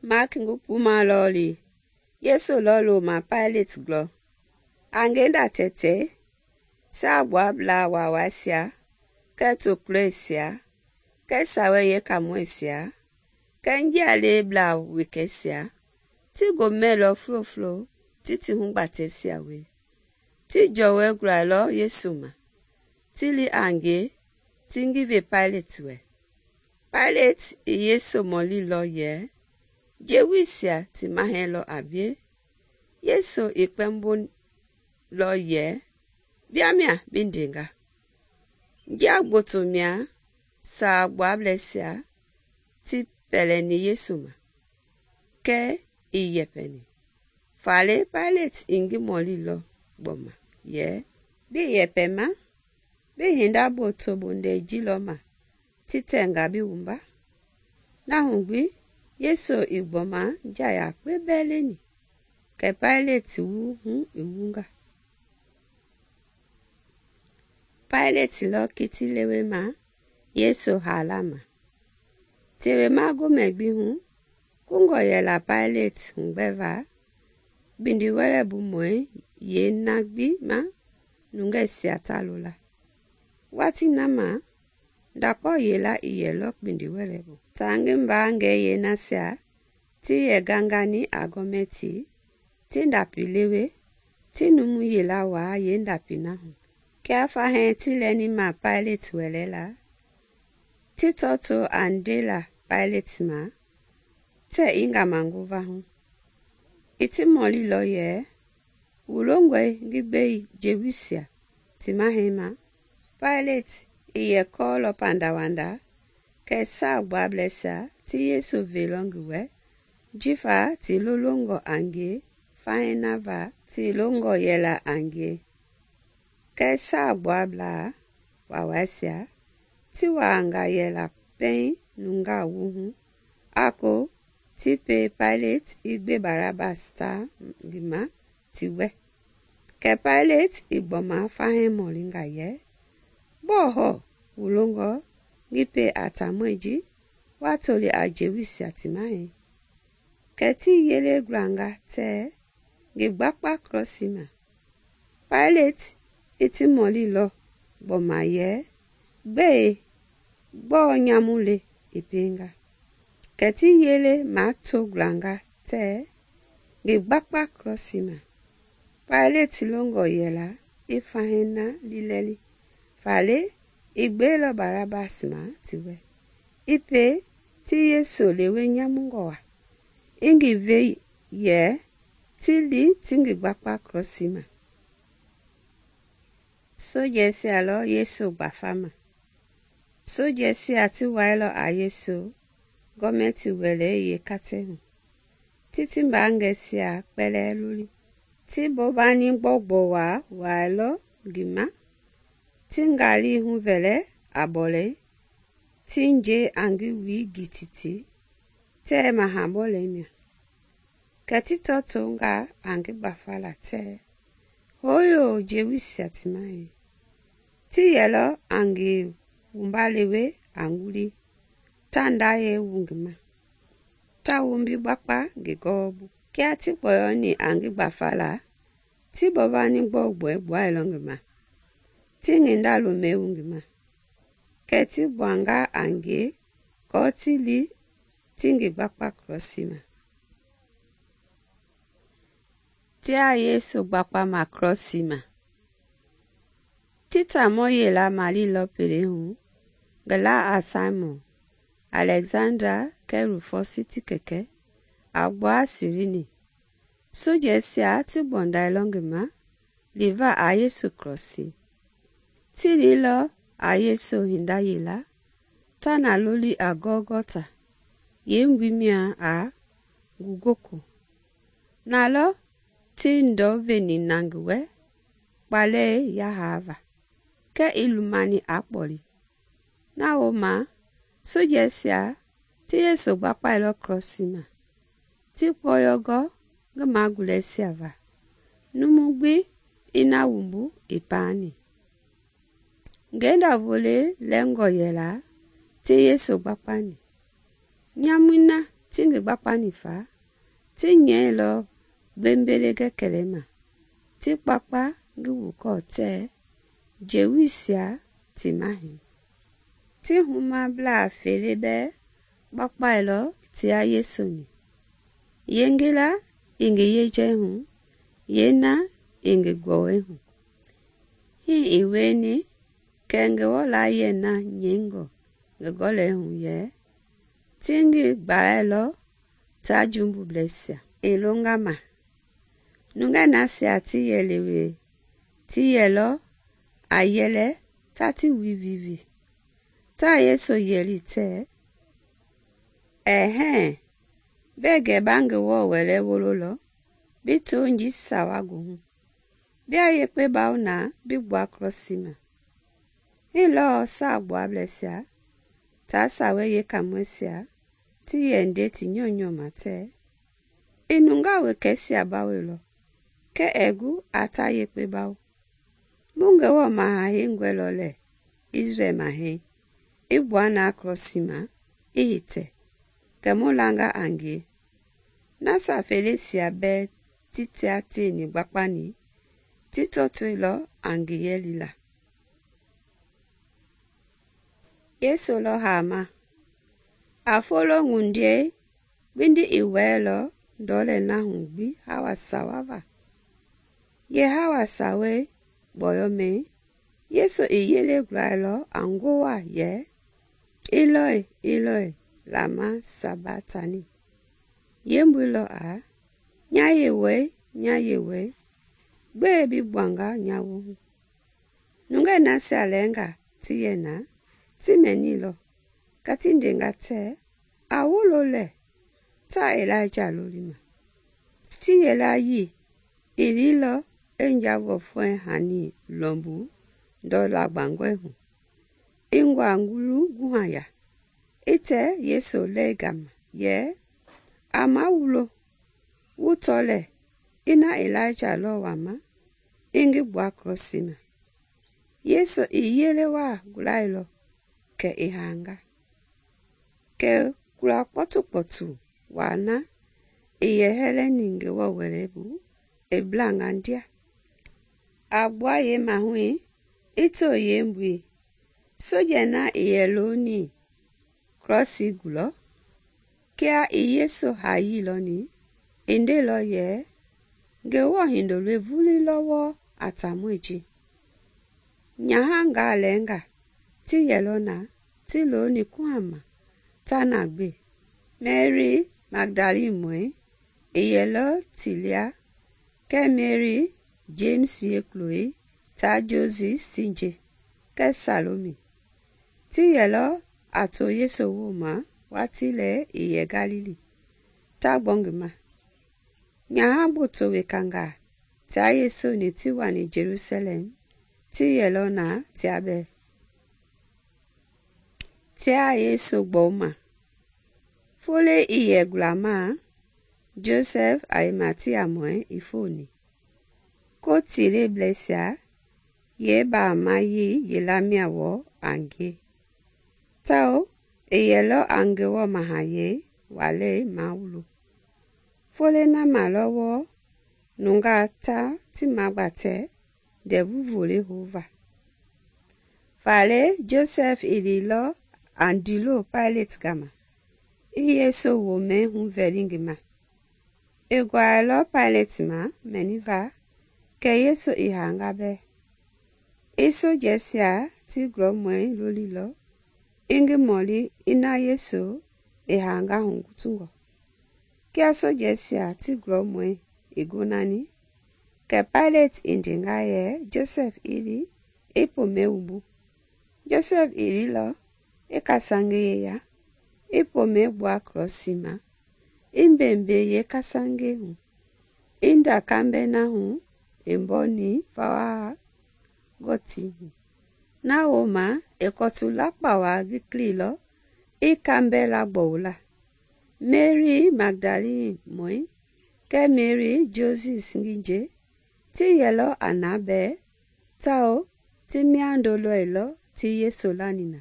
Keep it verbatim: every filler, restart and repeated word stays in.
Maaki ngi kpuma lɔɔli Yesu lɔ loma Paileti glɔ. A ngenda tɛtɛ, Saagbuablaa Waawaisia kɛɛ tokulɔisia kɛɛ Sawei Yeekaamɔisia kɛɛ njialeblaa wekɛisia ti gomɛilɔ fulo-fulo ti ti hugbatɛisia wie. Ti jɔwɔi gulailɔ Yesu ma, ti li a ngie ti ngi ve Paileti wɛ. Paileti i Yesu mɔlilɔ yɛ, “Jewuisia ti mahɛi lɔ a bie?” Yesu i kpɛmbolɔ yɛ, “Bia mia bi ndenga.” Njia gboto mia Saagbuablɛisia ti pɛlɛni Yesu ma, kɛɛ ii yɛpɛni. Faale Paileti i ngi mɔlilɔ gbɔma yɛ, “Bii yɛpɛma? Bii hinda gboto bondɛi ji lɔ ma ti tɛnga bi wumba?” Na hu gbi Yesu i gbɔma njia yakpe bɛɛ leni, kɛ Paileti wu hu i wunga. Paileti lɔ kiti lewema Yesu haala ma. Tewema gomɛ gbi hu, kungɔ yɛla Paileti hugbɛva kpindiwɛlɛbumɔi yeena gbi ma nungɛisia ta lola. Watii na ma, ndakpao yila i yɛlɔ kpindiwɛlɛ bu. Taa ngi mbaangɛi yeenasia ti yɛ gangani a gɔmɛti ti ndapi lewe ti numu yila waa yeendapi na hu. Kia fahɛɛ ti lɛni ma Paileti wɛlɛ la, ti tɔto a ndela Paileti ma tɛ i ngamanguva hu. I ti mɔlilɔ yɛ, “Wu longɔe ngi gbei Jewuisia ti mahɛi ma?” Paileti i yɛ kɔɔlɔ pandawanda kɛ Saagbuablɛisia ti Yesu veilɔ ngi wɛ jifa ti lolongɔ a ngie fahɛi na va ti longɔ yɛla a ngie. Kɛɛ Saagbuablaa Waawaisia ti waanga yɛla pɛiŋ nungaa wuhu a ko ti pie Paileti i gbe Barabasi ta ngi ma ti wɛ. Kɛ Paileti i gbɔma fahɛi mɔlinga yɛ, “Gbɔɔ hɔɔ wu longɔ ngi pie a taamɔi ji wa toli a Jewuisia ti mahɛi?” Kɛ ti yele gulanga tɛɛ ngi gbakpa krɔsi ma. Paileti i ti mɔlilɔ gbɔma yɛ, “Gbɛe? Gbɔɔ nyamu le i pienga?” Kɛ ti yele mato gulanga tɛɛ ngi gbakpa krɔsi ma. Paileti longɔ yɛla i fahɛi na lilɛli, faale i gbeilɔ Barabasi ma ti wɛ. I pie ti Yesu lewe nyamungɔ waa, i ngi ve yɛ ti li ti ngi gbakpa krɔsi ma. Sojɛisia lɔ Yesu gbafama. Sojɛisia ti wailɔ a Yesu gɔmɛti wɛlei yeekatɛ hu, ti ti mbaangɛisia kpɛlɛɛ loli. Ti bɔbani gbɔugbɔ waa wailɔ ngi ma, ti ngali huvɛlɛ a bɔlɛi, ti nje a ngi wui gititi tɛɛ mahabɔlɛi mia. Kɛ ti tɔtonga a ngi gbafala tɛɛ, “Hooyo Jewuisia ti mahɛi!” Ti yɛlɔ a ngi wumba lewe a nguli ta ndayɛi wu ngi ma, ta wumbi gbakpa ngi gɔwɔbu. Kia ti kpɔyɔni a ngi gbafala, ti bɔbani gbɔugbɔi gbuailɔ ngi ma, ti nginda lomɛi wu ngi ma. Kɛ ti gbuanga a ngie kɔɔ ti li ti ngi gbakpa krɔsi ma. Tia Yesu gbakpama krɔsi ma. Ti taamɔ yela malilɔ pele hu, ngi la a Saimɔn, Alɛgzanda kɛɛ Rufɔsi ti kɛkɛ, a gbua Sirini. Sojɛisia ti gbɔndailɔ ngi ma liva a Yesu krɔsi. Ti lilɔ a Yesu hinda yela ta na loli a Gɔlgɔta, yeembui mia a ngugoko. Na lɔ ti ndɔ veni na ngi wɛ kpalɛi yahaava, kɛɛ i lumani a kpɔli. Na wooma sojɛisia ti Yesu gbakpailɔ krɔsi ma, ti kpɔyɔgɔ ngi magulɛisia va. Numu gbi i na wumbu i paani. Ngenda vole lɛngɔ yɛla ti Yesu gbakpani. Nyamui na ti ngi gbakpani fa, ti nyɛilɔ gbembele gɛkɛlɛma, ti kpakpa ngi wukɔɔ tɛɛ jewiisia ti mahɛi. Ti humablaa fele bɛɛ gbakpailɔ tia Yesu-ni. Yeengila i ngi yejɛi hu, yeena i ngi gbɔwɔi hu. Hii i wieni kɛ Ngewɔ layie na nyɛingɔ ngi gɔlɛi hu yɛ, ti ngi gbalailɔ taa jumbubleisia i longa ma. Nungɛi nasia ti yɛ lewe ti yɛlɔ a yɛlɛ ta ti wivivi. Taa Yesu yɛli tɛɛ, “Ɛhɛɛ, bɛɛ gɛ ba Ngewɔ Wɛlei wololɔ bi tɔnjii sawa goohu, bia yekpe bawo na bi gbua krɔsii ma.” Hii lɔɔ Saagbuablɛisia taa Sawei Yeekaamɔisia ti yɛ nde ti nyɔunyɔ ma tɛɛ, “I nungaa wekɛisia bawoilɔ, kɛɛ ɛɛ gu a ta yekpe bawo. Mu Ngewɔ Maha Heingɔi lɔ lɛɛ Isrɛl Mahɛi, i gbua na krɔsii ma i hitɛ, kɛ mu langa a ngie.” Nasia feleisia bɛɛ ti tia tieni gbakpani ti tɔtoilɔ a ngi yɛlila. Yesu lɔ haama. A folo ŋundiei gbindi i wɛɛlɔ ndɔlei na hu gbi hawa sawa va. Yeehawa sawei gbɔyɔmɛi, Yesu i yele gulailɔ a ngowa yɛ, “Eloi, Eloi, lama sabaktani?” Yeembui lɔ a, “Nya Yewɔɛi, nya Yewɔɛi, gbɛe bi gbuanga nya woohu?” Nungɛi nasia lɛɛnga ti yɛ na ti mɛnilɔ, kɛ ti ndenga tɛɛ, “A wolo lɛɛ, taa Ilaija lolima.” Ti yilayii i liilɔ i njaavɔfɔi hani lɔmbu ndɔla gbangɔi hu, i ngua ngulu guhaya, i tɛ Yesu lɛi gama yɛ, “A mawulo, wu tɔ lɛɛ ina Ilaija lɔ wama i ngi gbua krɔsii ma.” Yesu i yele waa gulailɔ kɛ i haanga. Kɛ kula kpɔtukpɔtu waa na i yɛ hɛlɛni Ngewɔ Wɛlei bu i blanga ndia. A gbua yeemahui i to yeembui. Sojɛi na i yɛ looni krɔsii gulɔ, kia i Yesu hayii lɔni, i ndeilɔ yɛ, “Ngewɔ Hindoloi vulii wɔɔ a taamɔi ji.” Nyahangaa lɛɛnga ti yɛlɔ na ti looni kuhama ta na gbe. Meri Magdalimɔi i yɛlɔ ti lia, kɛɛ Meri, Jemisi yeekuloi taa Josis ti nje, kɛɛ Salomi. Ti yɛlɔ a to Yesu wooma watii lɛɛ i yɛ Galili, ta gbɔ ngi ma. Nyaha gboto wekangaa tia Yesu-ni ti wani Jelusalɛm ti yɛlɔ na tia bɛɛ. Tia Yesu gbɔuma. Foloi i yɛ gulamaa, Josɛf Arimatiamɔi i fooni. Kotileblɛisia yeebaamayii yelamia wɔɔ a ngie, tawao i yɛlɔ a Ngewɔ Mahayɛi walei mawulo. Foloi na ma lɔ wɔɔ nungaa ta ti magbatɛ ndɛvu volei houva. Faale Josɛf i liilɔ a ndiilo Paileti gama, i Yesu womɛi huvɛli ngi ma. I guailɔ Paileti ma mɛniva kɛ Yesu i haanga bɛɛ. I sojɛisia ti gulɔmɔi lolilɔ i ngi mɔli ina Yesu i haanga hugutungɔ. Kia sojɛisia ti gulɔmɔi i gonani, kɛ Paileti i ndenga yɛ Josɛf i li i pomɛi wumbu. Josɛf i liilɔ i kasange yeya, i pomɛi gbua krɔsii ma, i mbembe yeekasange hu, i nda kambɛ na hu i mbɔni vawaa gɔtii hu. Na wooma i kɔtu lakpawaa gikliilɔ i kambɛ lagbɔwula. Meri Magdalimɔi kɛɛ Meri Josis ngi nje ti yɛlɔ a na bɛɛ, tawao ti miando lɔilɔ ti Yesu lani na.